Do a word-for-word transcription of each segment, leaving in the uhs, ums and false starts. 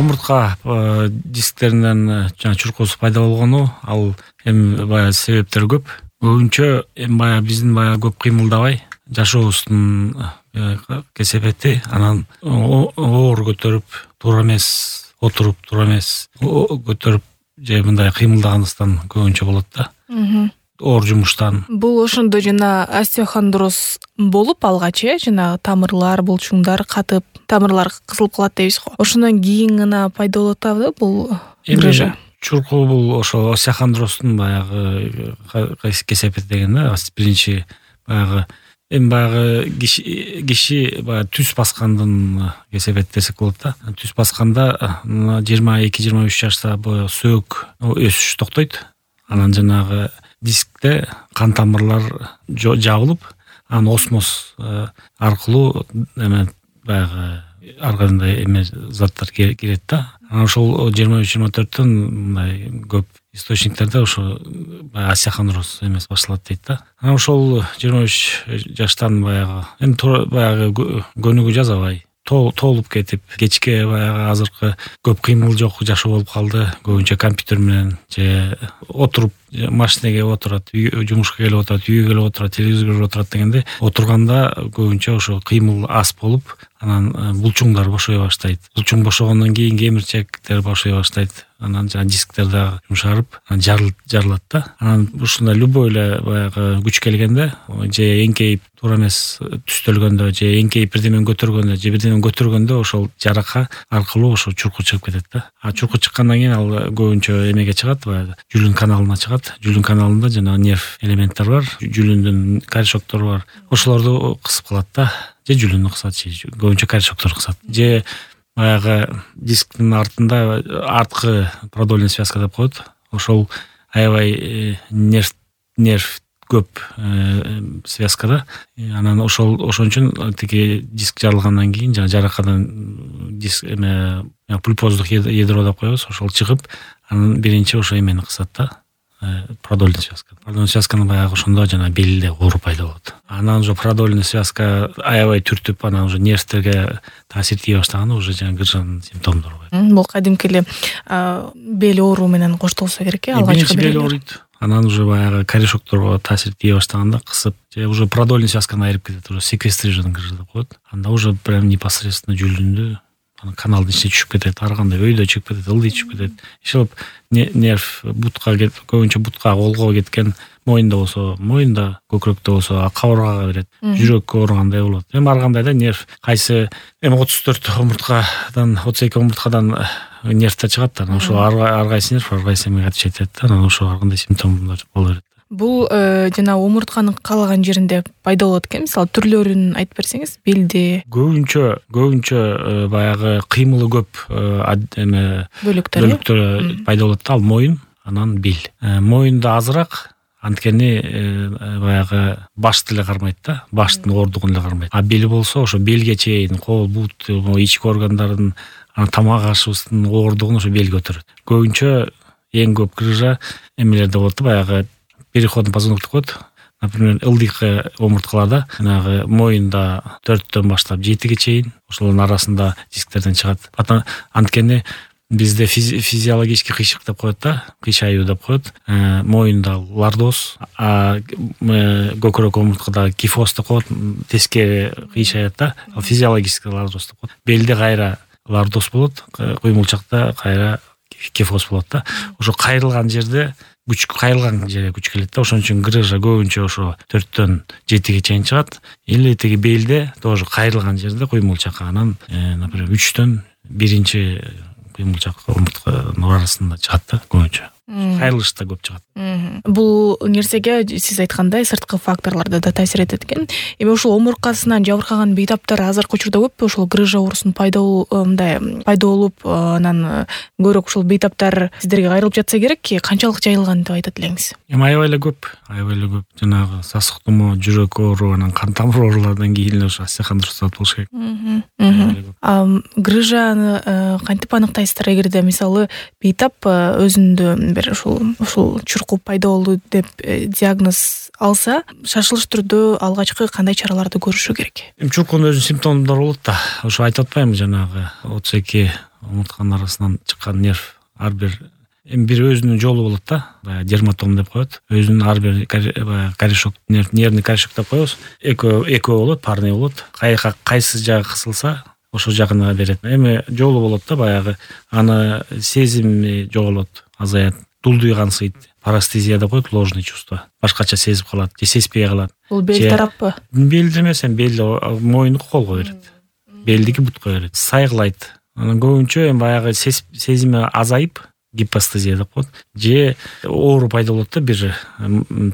омуртка дисктеринен жана чуркоосу пайда болгону ал эми баягы себептери көп. Көбүнчө эми баягы биздин баягы көп кыймылдабай жашообуздун кесепети, анан оор көтөрүп, туура эмес отуруп, туура эмес көтөрүп же мындай кыймылдаганыбыздан көбүнчө болот да. Оор жумуштан. Бул ошондо жана остеохондроз болуп алгач, э, жана тамырлар, булчуңдар катып, тамырлар кысылып калат дейбиз го. Ошондон кийин гана пайда болуп атабы бул грыжа? Чуркоо бул ошо остеохондроздун баягы кесепети деген да. Биринчи баягы эми баягы киши киши баягы түз баскандын кесепети десек болот да. Түз басканда жыйырма эки жыйырма үч жашта боюн сөөк өсүш токтойт. Анан жанагы дискте кан тамырлар жабылып, анан осмоз аркылуу эме баягы ар кандай эме заттар кирет да. Анан ошол жыйырма үч жыйырма төрттөн мындай көп источниктерде ошо остеохондроз эмес башталат дейт да. Анан ошол жыйырма үч жаштан баягы эми баягы көнүгүү жасабай тоолуп кетип, кечке баягы азыркы көп кыймыл жок жашоо болуп калды. Көбүнчө компьютер менен же отуруп машинеге отурат, жумушка келип отурат, үйгө келип отурат, телевизор көрүп отурат дегенде отурганда көбүнчө ошо кыймыл аз болуп, анан булчуңдар бошой баштайт. Булчуң бошогондон кийин кемирчектер бошой баштайт. Анан жана дисктер дагы жумшарып, жарылат да. Анан ушундай любой эле баягы күч келгенде, же эңкейип туура эмес түстөлгөндө, же эңкейип бирдемени көтөргөндө, же бирдемени көтөргөндө ошол жарака аркылуу ошо чуркуу чыгып кетет да. А чуркуу чыккандан кийин ал көбүнчө эмеге чыгат, баягы жүлүн каналына чыгат. Жүлүн каналында жана нерв элементтер бар, жүлүндүн корешоктору бар. Ошолорду кысып калат да. Же жүлүнү кысат, же көбүнчө корешоктор кысат. Же баягы дисктин артында арткы продольный связка деп коет. Ошол аябай нерв нерв көп связкада. Анан ошол ошон үчүн тиги диск жарылгандан кийин жана жаракадан диск эме пульпоздук ядро деп коебуз, ошол чыгып, анан биринчи ошо эмени кысат да. Продольный связка. Продольный связканы баягы ошондо жана белде оору пайда болот. Анан уже продольный связка аябай түртүп, анан уже нервтерге таасир тие баштаганда уже жана грыжанын симптомдору бар. Бул кадимки эле бел оору менен коштолсо керек, э, алгачкы бел ооруйт. Анан уже баягы корешокторго таасир тие баштаганда кысып, же уже продольный связканы айырып кетет, уже секвестрированный грыжа деп коет. Анда уже прям непосредственно жүлүндү каналдын ичине түшүп кетет, ар кандай өйдө чыгып кетет, ылдый чыгып кетет. Ишелеп нерв бутка кетип, көбүнчө бутка, колго кеткен, моюнда болсо моюнда, көкүрөктө болсо кабыргага берет, жүрөккө ооругандай болот. Эми ар кандай да нерв, кайсы эми отуз төрт омурткадан, отуз эки омурткадан нервтер чыгат да. Ошо ар кайсы нерв ар кайсы эмеге отвечать этет да. Анан ошо ар кандай симптомдор боло берет. Бул жана омуртканын каалаган жеринде пайда болот экен. Мисалы түрлөрүн айтып берсеңиз, белде. Көбүнчө, көбүнчө баягы кыймылы көп эме бөлүктөр пайда болот да. Ал моюн, анан бел. Моюнда азыраак, анткени баягы башты эле кармайт да, баштын оордугун эле кармайт. А бел болсо ошо белге чейин, кол, бут, ички органдардын, анан тамак ашыбыздын оордугун ошо бел көтөрөт. Көбүнчө эң көп грыжа эмелерде болот да, баягы переходный позвонок деп коет. Например, ылдыйкы омурткаларда, жанагы моюнда төрттөн баштап жетиге чейин, ошолордун арасында дисктерден чыгат. Анткени бизде физиологический кыйшык деп коет да, кыйшаюу деп коет. Моюнда лордоз, а көкүрөк омурткада кифоз деп коет, тескери кыйшаят да, физиологический лордоз деп коет. Белде кайра лордоз болот, куймулчакта кайра кифоз болот да. Ошо кайрылган жерде күч, кайрылган жерге күч келет да. Ошон үчүн грыжа көбүнчө ошо төрттөн жетиге чейин чыгат. Или тиги белде тоже кайрылган жерде куймулчак, анан например үчтөн биринчи кыймылчак омуртканын арасында чыгат да көбүнчө. Кайрылышта көп чыгат. Бул нерсеге сиз айткандай сырткы факторлор да таасир этет экен. Эми ошол омурткасынан жабыркаган бейтаптар азыркы учурда көппү? Ошол грыжа оорусунун пайда мындай пайда болуп, анан көбүрөөк ошол бейтаптар сиздерге кайрылып жатса керек, канчалык жайылган деп айтат элеңиз? Эми аябай эле көп, аябай эле көп. Жанагы сасык тумоо, жүрөк оору, анан кан тамыр оорулардан кийин эле ошо остеохондроз болуш керек. Грыжаны кантип аныктайсыздар? Эгерде мисалы бейтап өзүндө бир ушул ушул чуркуу пайда болду деп диагноз алса, шашылыш түрдө алгачкы кандай чараларды көрүшү керек? Эми чуркуунун өзүнүн симптомдору болот да. Ошо айтып атпаймынбы, жанагы отуз эки омуртканын арасынан чыккан нерв ар бир эми бир өзүнүн жолу болот да, баягы дерматом деп коет. Өзүнүн ар бир баягы корешок нерв, нервный корешок деп коебуз. Экөө экөө болот, парный болот. Кайка кайсы жагы кысылса, ошол жагына берет. Эми жолу болот да, баягы аны сезими жоголот, азаят. Дулдуй кансыйт. Парестезия деп коет, ложный чувство. Башкача сезип калат, же сезбей калат. Бул бел тараппы? Белди эмес, эми белди моюндуку колго берет. Белдики бутка берет. Сайгылайт. Анан көбүнчө эми баягы сезими азайып, гипостезия деп коет. Же оору пайда болот да, бир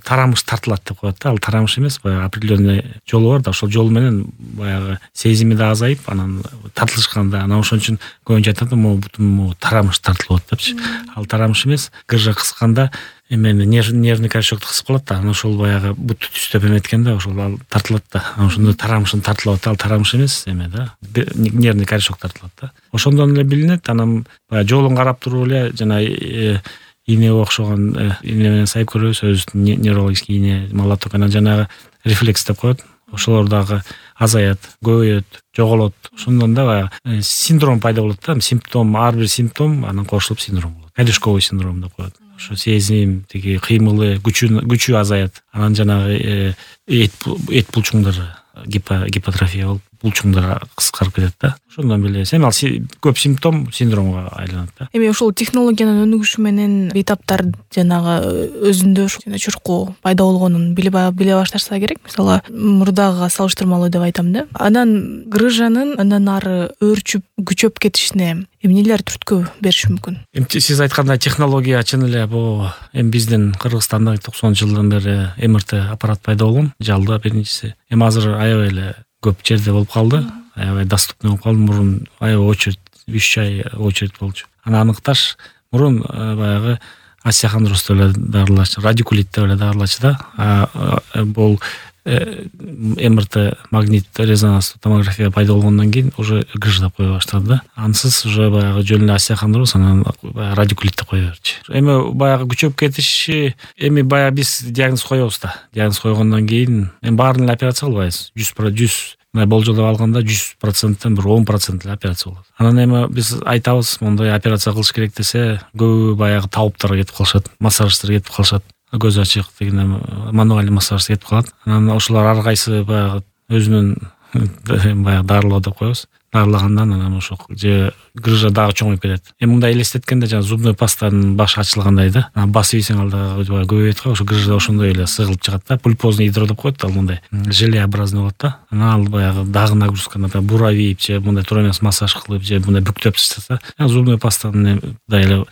тарамыш тартылат деп коет да. Ал тарамыш эмес, баягы определенный жолу бар да, ошол жол менен баягы сезими да азайып, анан тартылышканда, анан ошон үчүн көбүнчө айтат да, могу бутум тартылып атат депчи. Ал тарамыш эмес, гыржа кысканда эмени нервный корешокто кысып калат да, анан ошол баягы бутту түздөп эметкен да, ошол ал тартылат да. Анан ошондо тарамышын тартылып атат, ал тарамыш эмес эме да, нервный корешок тартылат да. Ошондон эле билинет. Анан баягы жолун карап туруп эле жана ийнеге окшогон ийне менен сайып көрөбүз, өзүбүздүн неврологический ийне, малоток, жанагы рефлекс деп коет. Ошолор дагы азаят, көбөйөт, жоголот. Ошондон да баягы синдром пайда болот да, симптом, ар бир симптом анан кошулуп синдром болот. Корешковый синдром деп коет. Ошо сезим, тиги кыймылы, күчү күчү азаят. Анан жанагы эт эт булчуңдары гипотрофия болуп, булчуңдар кыскарып кетет да. Ошондон билебиз. Эми ал көп симптом синдромго айланат да. Эми ошол технологиянын өнүгүшү менен бейтаптар жанагы өзүндө жана чуркуу пайда болгонун биле биле башташса керек. Мисалы, мурдагыга салыштырмалуу деп айтам да. Анан грыжанын андан ары өөрчүп, күчөп кетишине эмнелер түрткү бериши мүмкүн? Эми сиз айткандай технология чын эле бул эми биздин Кыргызстанда токсонунчу жылдан бери эм эр тэ аппарат пайда болгон, жалда биринчиси. Эми азыр аябай эле көп жерде болуп калды, аябай доступный болуп калды. Мурун аябай очередь, үч ай очередь болчу. Аны аныкташ мурун баягы остеохондрозду эле дарылачу, радикулитти эле дарылачу да. Бул эм эр тэ, магнит резонанстуу томография пайда болгондон кийин уже грыж деп кое баштады да. Ансыз уже баягы жөн эле остеохондроз, анан радикулит деп кое берчү. Эми баягы күчөп кетиши, эми баягы биз диагноз коебуз да. Диагноз койгондон кийин эми баарын эле операция кылбайбыз. жүз болжолдоп алганда жүз проценттен бир он процент эле операция болот. Анан эми биз айтабыз, мондай операция кылыш керек десе, көбү баягы табыптарга кетип калышат, массажисттер кетип калышат. Көз ачык деген мануальный массаж кетип калат. Анан ошолор ар кайсы баягы өзүнүн баягы дарылоо деп коебуз. Дарылагандан анан ошо же грыжа дагы чоңоюп кетет. Эми мындай элестеткенде жана зубной пастанын башы ачылгандай да. Анан басып ийсең ал дагы көбөйөт го, ошо грыжа ошондой эле сыгылып чыгат да. Пульпозный ядро деп коет, ал мындай желеобразный болот да. Анан ал баягы дагы нагрузканы буравип же мындай туура эмес массаж кылып же мындай бүктөп таштаса, зубной пастанын да эле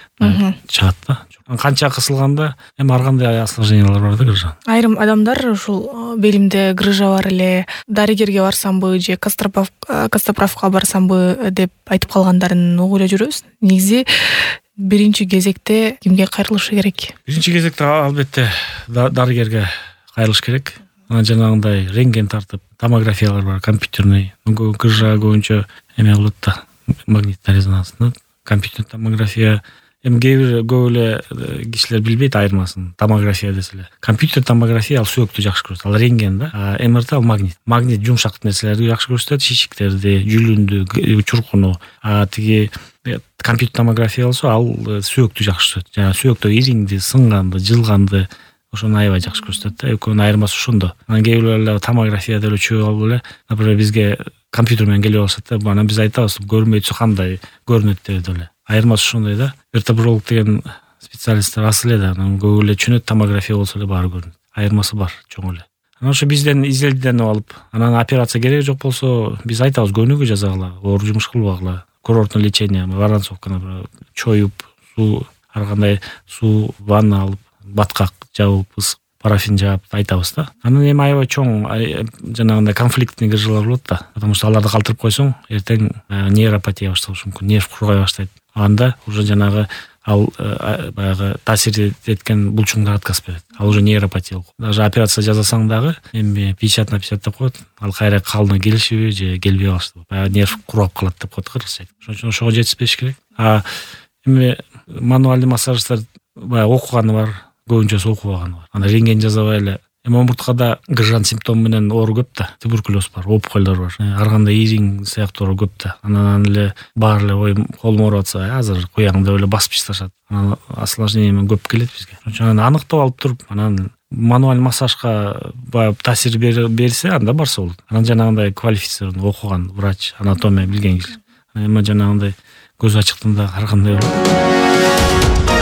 чыгат да. Канча кысылганда эми ар кандай осложнениялар бар да грыжа. Айрым адамдар ушул белимде грыжа бар эле, дарыгерге барсамбы же кастроправка барсамбы деп айтып калгандарын угуп эле жүрөбүз. Негизи биринчи кезекте кимге кайрылышы керек? Биринчи кезекте албетте дарыгерге кайрылыш керек. Анан жанагындай рентген тартып, томографиялар бар, компьютерный. Грыжа көбүнчө эме болот да, магнитный резонанстуу. Компьютерный томография эми кээ бир көп эле кишилер билбейт айырмасын. Томография деселе, компьютер томография ал сөөктү жакшы көрсөтөт, ал рентген да. А эм эр тэ ал магнит. Магнит жумшак нерселерди жакшы көрсөтөт, шишиктерди, жүлүндү, чуркуну. А тиги компьютер томография болсо ал сөөктү жакшы көрсөтөт. Жана сөөктө ириңди, сынганды, жылганды ошону аябай жакшы көрсөтөт да. Экөөнүн айырмасы ошондо. Анан кээ бир эле томография деле чөп алып эле, например, бизге компьютер менен келип алышат да. Анан биз айтабыз, көрмөй турса кандай көрүнөт деп эле. Айырмасы ошондой да. Вертебролог деген специалисттер аз эле да, анан көп эле түшүнөт, томография болсо эле баары көрүнөт. Айырмасы бар, чоң эле. Анан ошо бизден изилденип алып, анан операция кереги жок болсо, биз айтабыз, көнүгүү жасагыла, оор жумуш кылбагыла, курортный лечение, воронцовканы чоюп, суу, ар кандай суу, ванна алып, баткак жабып, парафин жаап айтабыз да. Анан эми аябай чоң жанагындай конфликтный грыжалар болот да. Потому что аларды калтырып койсоң, эртең нейропатия башталышы мүмкүн, нерв кургай баштайт. Анда уже жанагы ал баягы таасир эткен булчуңдар отказ берет. Ал уже нейропатия болот. Даже операция жасасаң дагы эми пятьдесят на пятьдесят деп коет. Ал кайра калыбына келишиби же келбей калышы. Баягы нерв курап калат деп коет кыргызча. Ошон үчүн ошого жетишпеш керек. А эми мануальный массажисттер баягы окуганы бар, көбүнчөсү окубаганы бар. Анда рентген жасабай эле Эми омурткада грыжан симптому менен оору көп да, туберкулез бар, опухолдор бар, ар кандай ириң сыяктуу оору көп да. Анан эле баары эле ой колум ооруп атса, азыр куяң деп эле басып ташташат. Анан осложнение көп келет бизге. Анан аныктап алып туруп, анан мануаль массажга баягы таасир берсе, анда барса болот. Анан жанагындай квалифицированный окуган врач, анатомия билген киши. Эми жанагындай көз ачыктын да ар кандай болот.